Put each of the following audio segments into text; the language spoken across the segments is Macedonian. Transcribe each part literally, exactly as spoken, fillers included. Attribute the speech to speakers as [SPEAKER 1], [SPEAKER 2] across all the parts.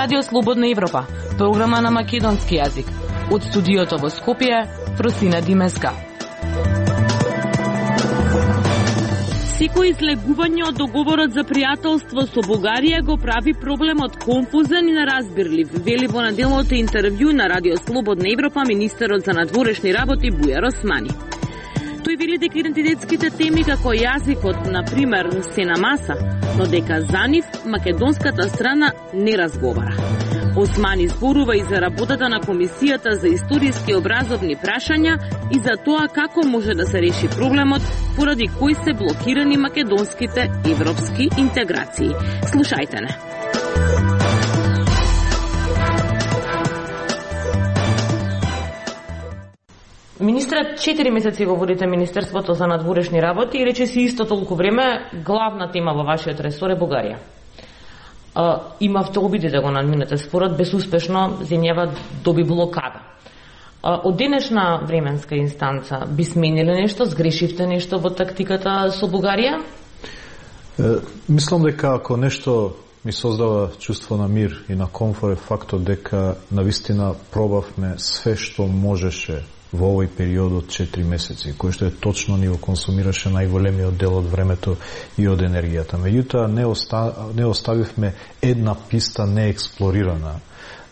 [SPEAKER 1] Радио Слободна Европа, програма на македонски јазик. Од студиото во Скопје, Фросина Димеска.
[SPEAKER 2] Секој излегување од договорот за пријателство со Бугарија го прави проблемот конфузен и неразбирлив, вели во наделното интервју на Радио Слободна Европа министерот за надворешни работи Бујар Османи. Тој вели дека идентитетските теми како јазикот, на пример, се на маса, но дека за нив македонската страна не разговара. Османи зборува и за работата на Комисијата за историски образовни прашања и за тоа како може да се реши проблемот поради кој се блокирани македонските европски интеграции. Слушајте не.
[SPEAKER 1] Министрат четири месеци го водите Министерството за надворешни работи и рече си исто толку време главна тема во вашиот ресор е Бугарија. Uh, имавте обиди да го надминете спорот, безуспешно земјава доби блокада. Uh, од денешна временска инстанца би смениле нешто, сгрешивте нешто во тактиката со Бугарија?
[SPEAKER 3] Uh, мислам дека ако нешто ми создава чувство на мир и на комфорт е фактот дека навистина пробавме све што можеше во овој период од четири месеци, кој што е точно ни го консумираше најголемиот дел од времето и од енергијата. Меѓутоа не, оста, не оставивме една писта неексплорирана,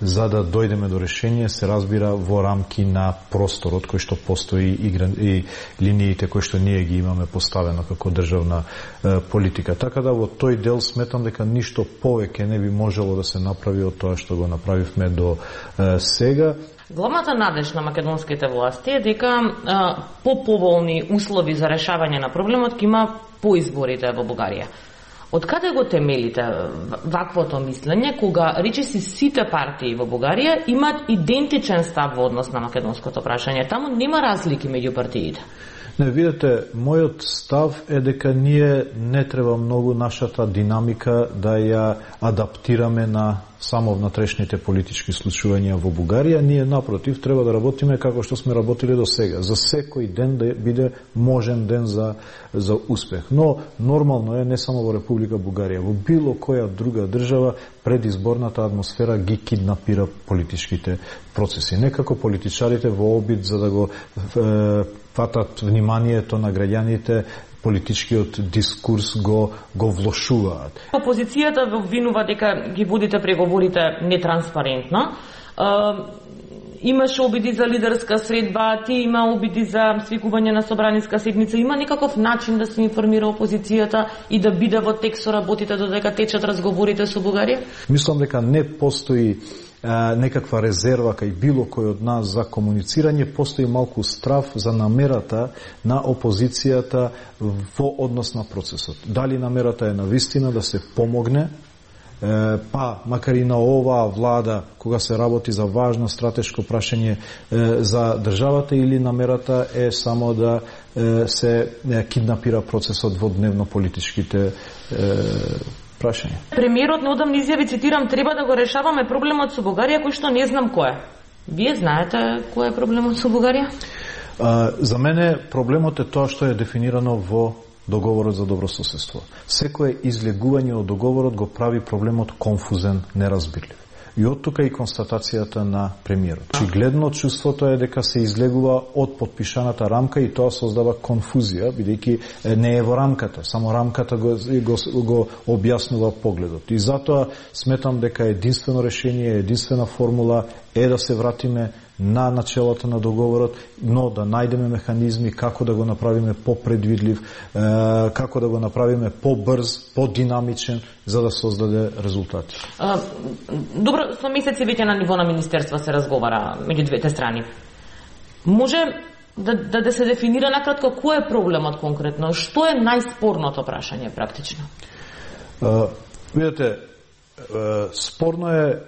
[SPEAKER 3] за да дојдеме до решение, се разбира, во рамки на просторот кој што постои и, и линиите кои што ние ги имаме поставено како државна е, политика. Така да во тој дел сметам дека ништо повеќе не би можело да се направи од тоа што го направивме до е, сега.
[SPEAKER 1] Главната надеж на македонските власти е дека а, по-поволни услови за решавање на проблемот ќе има по изборите во Бугарија. Од каде го темелите ваквото мислење, кога речиси сите партии во Бугарија имаат идентичен став во однос на македонското прашање? Таму нема разлики меѓу партиите.
[SPEAKER 3] Не, видете, мојот став е дека ние не треба многу нашата динамика да ја адаптираме на само внатрешните политички случувања во Бугарија. Ние, напротив, треба да работиме како што сме работили до сега. За секој ден да биде можен ден за, за успех. Но, нормално е, не само во Република Бугарија, во било која друга држава, предизборната атмосфера ги киднапира политичките процеси. Некако политичарите во обид за да го е, фатат вниманието на граѓаните, политичкиот дискурс го го влошуваат.
[SPEAKER 1] Опозицијата во обвинува дека ги водите преговорите нетранспарентно. Е, имаше обиди за лидерска средба, ти има обиди за свикување на собраниска седница. Има некаков начин да се информира опозицијата и да биде во текст со работите додека течат разговорите со Бугарија?
[SPEAKER 3] Мислам дека не постои Uh, некаква резерва кај било кој од нас за комуницирање, постои малку страв за намерата на опозицијата во однос на процесот. Дали намерата е навистина да се помогне, uh, па макар и на оваа влада кога се работи за важно стратешко прашање uh, за државата, или намерата е само да uh, се uh, киднапира процесот во дневно-политичките uh, прашање.
[SPEAKER 1] Премиерот неодамна изјави, цитирам, треба да го решаваме проблемот со Бугарија, кој што не знам кој е. Вие знаете кој е проблемот со Бугарија?
[SPEAKER 3] А, за мене проблемот е тоа што е дефинирано во договорот за добрососедство. Секое излегување од договорот го прави проблемот конфузен, неразбирлив. И од тука и констатацијата на премиерот. Очигледно чувството е дека се излегува од подпишаната рамка и тоа создава конфузија, бидејќи не е во рамката, само рамката го, го, го објаснува погледот. И затоа сметам дека единствено решение, единствена формула е да се вратиме на начелата на договорот, но да најдеме механизми како да го направиме попредвидлив, како да го направиме побрз, подинамичен, за да создаде резултати.
[SPEAKER 1] А, добро, со месеци веќе на ниво на министерство се разговара меѓу двете страни. Може да, да, да се дефинира накратко кој е проблемот конкретно? Што е најспорното прашање практично?
[SPEAKER 3] А, видете, спорно е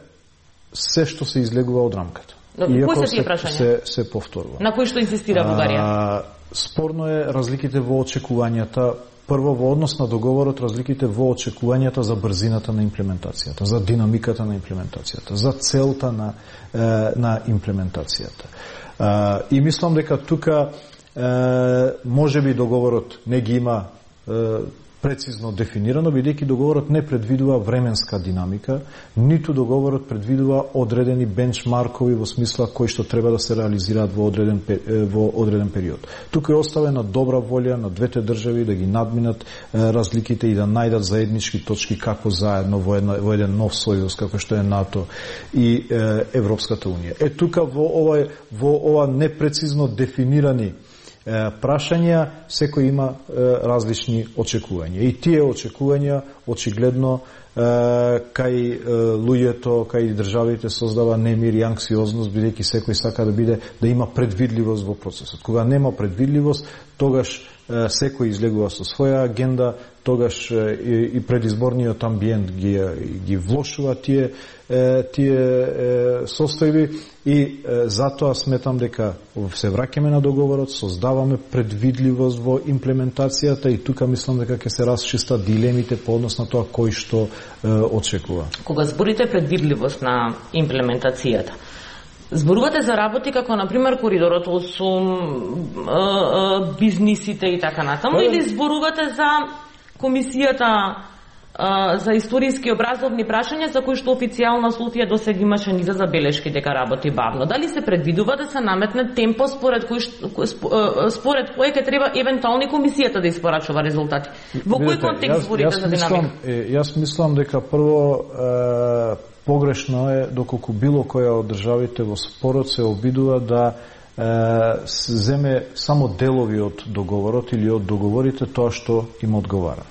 [SPEAKER 3] се што се излегува од рамката.
[SPEAKER 1] Кои се тие прашања?
[SPEAKER 3] Се, се повторува.
[SPEAKER 1] На кои што инсистира Бугарија?
[SPEAKER 3] А, спорно е разликите во очекувањата. Прво, во однос на договорот, разликите во очекувањата за брзината на имплементацијата, за динамиката на имплементацијата, за целта на, е, на имплементацијата. Е, и мислам дека тука е, може би договорот не ги има е, прецизно дефинирано, бидејќи договорот не предвидува временска динамика, ниту договорот предвидува одредени бенчмаркови во смисла кои што треба да се реализираат во одреден во одреден период. Тука е оставена добра волја на двете држави да ги надминат разликите и да најдат заеднички точки како заедно во, една, во еден нов сојуз како што е НАТО и е, Европската унија. Е тука во ова во ова непрецизно дефинирани прашања секој има е, различни очекувања. И тие очекувања очигледно е, кај е, луѓето, кај државите создава немир и анксиозност, бидејќи секој сака да биде да има предвидливост во процесот. Кога нема предвидливост, тогаш е, секој излегува со своја агенда, тогаш е, и, и предизборниот амбиент ги ги влошува тие е, тие е, состојби и е, затоа сметам дека се враќаме на договорот, создаваме предвидливост во имплементацијата и тука мислам дека ќе се расчистат дилемите по однос на тоа кој што е, очекува.
[SPEAKER 1] Кога зборите предвидливост на имплементацијата, зборувате за работи како например коридорот осум, бизнисите и така натаму, или зборувате за комисијата за историски образовни прашања за кои што официјално Софија досега имаше низа забелешки дека работи бавно? Дали се предвидува да се наметне темпо според кој според кој ќе треба евентуално комисијата да испорачува резултати? Во кој контекст зборите за динамика?
[SPEAKER 3] Јас мислам дека прво е, погрешно е доколку било која од државите во спорот се обидува да е, земе само делови од договорот или од договорите тоа што им одговара.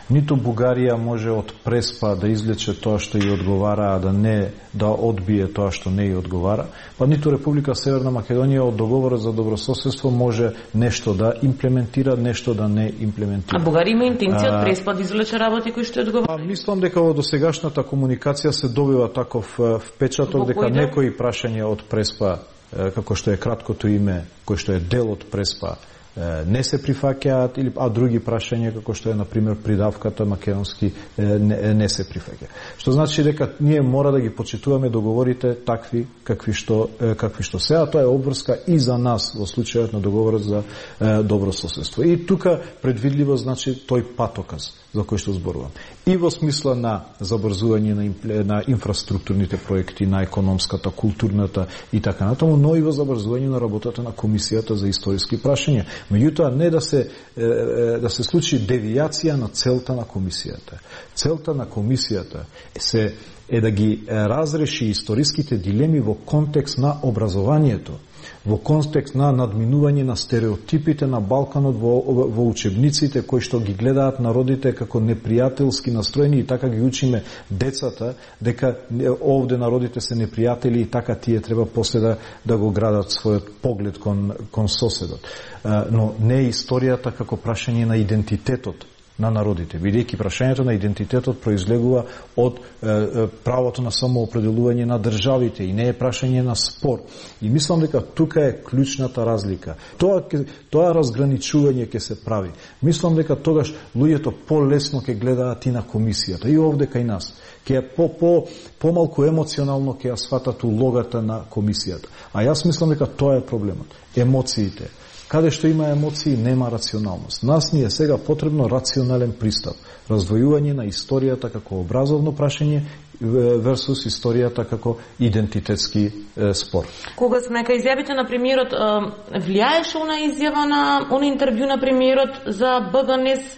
[SPEAKER 3] Ниту Бугарија може од преспа да извлече тоа што ја одговара, а да не да одбие тоа што не ја одговара, па ниту Република Северна Македонија од договорот за добрососедство може нешто да имплементира, нешто да не имплементира.
[SPEAKER 1] А Бугарија има интенција од преспа да извлече работи кои што ја одговара?
[SPEAKER 3] Па мислам дека во досегашната комуникација се добива таков впечаток дека некои прашања од преспа, како што е краткото име, кој што е дел од преспа, не се прифаќаат, или а други прашања како што е на пример придавката македонски не, не се прифаќа. Што значи дека ние мора да ги почитуваме договорите такви какви што какви што се, а тоа е обврска и за нас во случајот на договорот за е, добро соседство. И тука предвидливо значи тој патоказ за кој што зборувам. И во смисла на забрзување на, на инфраструктурните проекти, на економската, културната и така натаму, но и во забрзување на работата на комисијата за историски прашања. Меѓутоа не да се да се случи девијација на целта на комисијата. Целта на комисијата се е да ги разреши историските дилеми во контекст на образованието, во контекст на надминување на стереотипите на Балканот во, во учебниците кои што ги гледаат народите како непријателски настроени и така ги учиме децата дека овде народите се непријатели и така тие треба после да, да го градат својот поглед кон, кон соседот. Но не е историјата како прашање на идентитетот на народите, бидејќи прашањето на идентитетот произлегува од е, правото на самоопределување на државите и не е прашање на спор. И мислам дека тука е клучната разлика. Тоа тоа разграничување ќе се прави. Мислам дека тогаш луѓето полесно ќе гледаат и на комисијата и овде кај нас. Ќе по по помалку емоционално ќе ја сватат улогата на комисијата. А јас мислам дека тоа е проблемот. Емоциите. Каде што има емоции, нема рационалност. Нас ни е сега потребно рационален пристап. Раздвојување на историјата како образовно прашање версус историјата како идентитетски е, спор.
[SPEAKER 1] Кога сме кај изјавите на премиерот, влијаеше она изјава на она интервју на премиерот за БГНЕС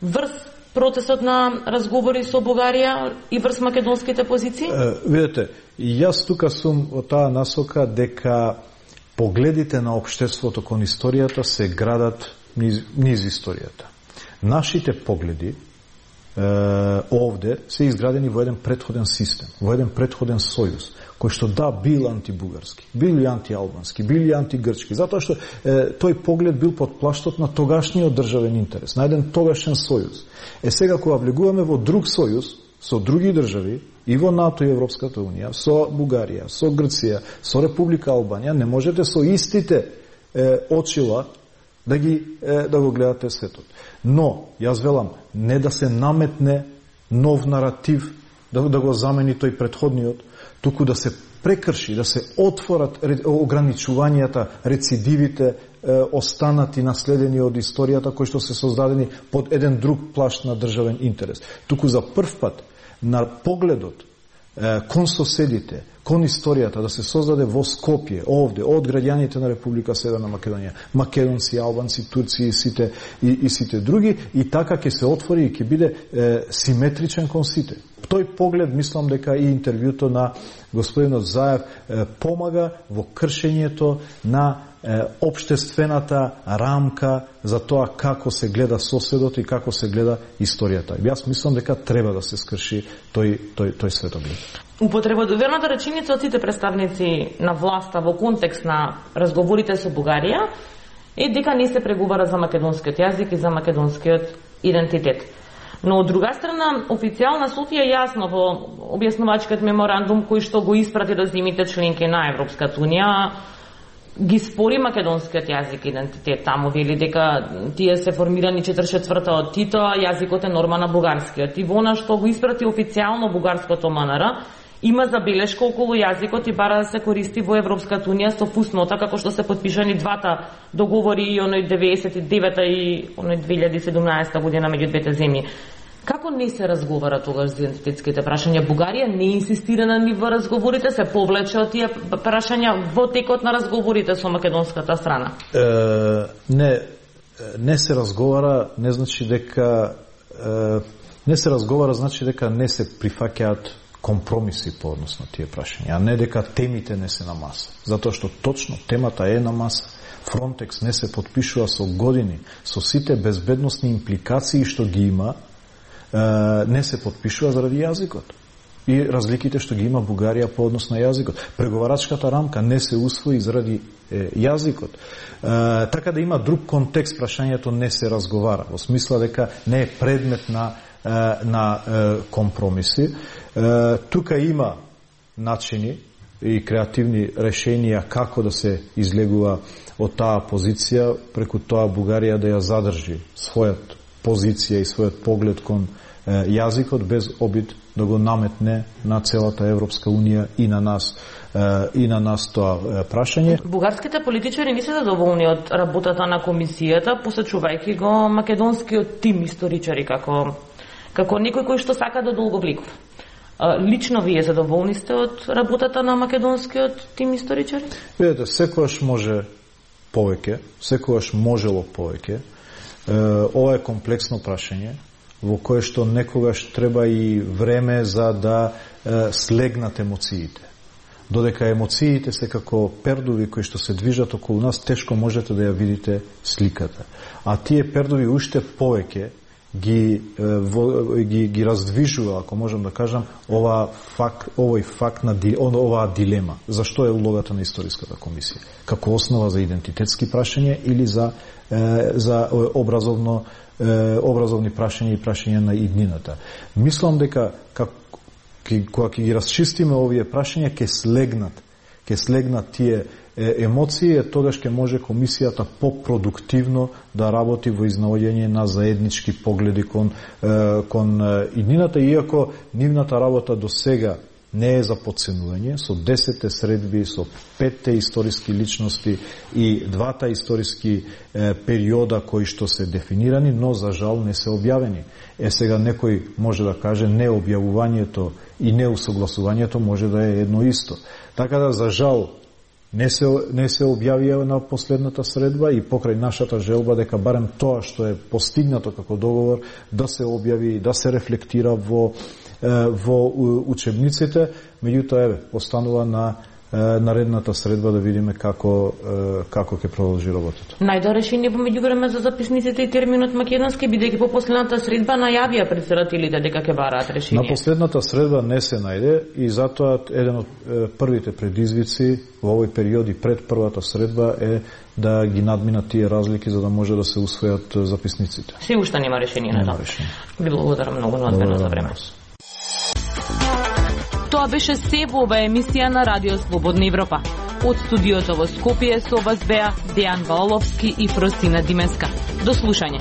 [SPEAKER 1] врз процесот на разговори со Бугарија и врз македонските позиции?
[SPEAKER 3] Е, видете, јас тука сум во таа насока дека погледите на општеството кон историјата се градат низ, низ историјата. Нашите погледи е, овде се изградени во еден претходен систем, во еден претходен сојуз, кој што да бил антибугарски, бил и антиалбански, бил и антигрчки, затоа што е, тој поглед бил под плаштот на тогашниот државен интерес, на еден тогашен сојуз. Е сега кога влегуваме во друг сојуз со други држави, и во НАТО и Европската унија, со Бугарија, со Грција, со Република Албанија, не можете со истите е, очила да ги е, да го гледате светот. Но, јас велам, не да се наметне нов наратив, да, да го замени тој претходниот, туку да се прекрши, да се отворат ограничувањата, рецидивите, останати наследени од историјата кои што се создадени под еден друг плашт на државен интерес. Туку за прв пат на погледот кон соседите, кон историјата да се создаде во Скопје, овде, од граѓаните на Република Северна Македонија, македонци, албанци, турци и сите, и, и сите други, и така ќе се отвори и ќе биде е, симетричен кон сите. Тој поглед, мислам дека и интервјуто на господинот Заев е, помага во кршењето на е, обштествената рамка за тоа како се гледа соседот и како се гледа историјата. Јас мислам дека треба да се скрши тој, тој, тој светоглед.
[SPEAKER 1] Употребодовената реченица од сите представници на власта во контекст на разговорите со Бугарија е дека не се преговара за македонскиот јазик и за македонскиот идентитет. Но од друга страна, официјална Софија јасно во објаснувачкиот меморандум кој што го испрати до земјите членки на Европската унија ги спори македонскиот јазик и идентитет. Таму вели дека тие се формирани четиридесет и четврта од Тито, а јазикот е норма на бугарскиот. И во она што го испрати официјално бугарското МНР, има забелешка околу јазикот и бара да се користи во Европската унија со фуснота, како што се подпишани двата договори, и оној деветдесет и девета и оној две илјади и седумнаесета година меѓу двете земји. Како не се разговара тогаш за идентитетските прашања? Бугарија не инсистира на нив разговорите, се повлече од тие прашања во текот на разговорите со македонската страна?
[SPEAKER 3] Е, не, не се разговара, не значи дека е, не се разговара, значи дека не се прифаќаат компромиси по однос на тие прашања, а не дека темите не се на маса. Затоа што точно темата е на маса. Фронтекс не се подпишува со години, со сите безбедносни импликации што ги има, не се подпишува заради јазикот и разликите што ги има Бугарија по однос на јазикот. Преговарачката рамка не се усвои заради е, јазикот. Е, така да има друг контекст, прашањето не се разговара, во смисла дека не е предмет на, е, на е, компромиси. Е, тука има начини и креативни решенија како да се излегува од таа позиција, преку тоа Бугарија да ја задржи својот позиција и својот поглед кон е, јазикот без обид да го наметне на целата Европска унија и на нас е, и на нас тоа е, прашање.
[SPEAKER 1] Бугарските политичари не се задоволни од работата на комисијата, посечувајќи го македонскиот тим историчари како како некој кој што сака да долговлекува. Лично вие задоволни сте од работата на македонскиот тим историчари?
[SPEAKER 3] Видете, секојаш може повеќе, секојаш можело повеќе. Ова е комплексно прашање во кое што некогаш треба и време за да е, слегнат емоциите. Додека емоциите се како пердуви кои што се движат околу нас, тешко можете да ја видите сликата. А тие пердуви уште повеќе ги, во, ги, ги раздвижува, ако можам да кажам, ова факт, овој факт на оваа дилема. Зашто е улогата на историската комисија? Како основа за идентитетски прашања или за за образовно образовни прашања и прашања на иднината. Мислам дека кога ќе ги расчистиме овие прашања ќе слегнат, ќе слегнат тие емоции, е тогаш ќе може комисијата попродуктивно да работи во изнаоѓање на заеднички погледи кон кон иднината, иако нивната работа до сега не е за подценување, со десетте средби, со петте историски личности и двата историски е, периода кои што се дефинирани, но за жал не се објавени. Е сега некој може да каже необјавувањето и неусогласувањето може да е едно исто. Така да за жал не се не се објавија на последната средба и покрај нашата желба дека барем тоа што е постигнато како договор да се објави, да се рефлектира во во учебниците, меѓутоа еве останува на наредната средба да видиме како како ќе продолжи работата.
[SPEAKER 1] Најдо решение во меѓувреме за записниците и терминот македонски, бидејќи по последната средба најавија претседателите дека ќе бараат решение.
[SPEAKER 3] На последната средба не се најде и затоа еден од првите предизвици во овој период и пред првата средба е да ги надминат тие разлики за да може да се усвојат записниците.
[SPEAKER 1] Се уште нема решение на тоа. Ви благодарам многу на одмена за време.
[SPEAKER 2] Тоа беше се во оваа емисија на Радио Слободна Европа. Од студиото во Скопје со вас беа Дејан Ваоловски и Фросина Димеска. До слушање.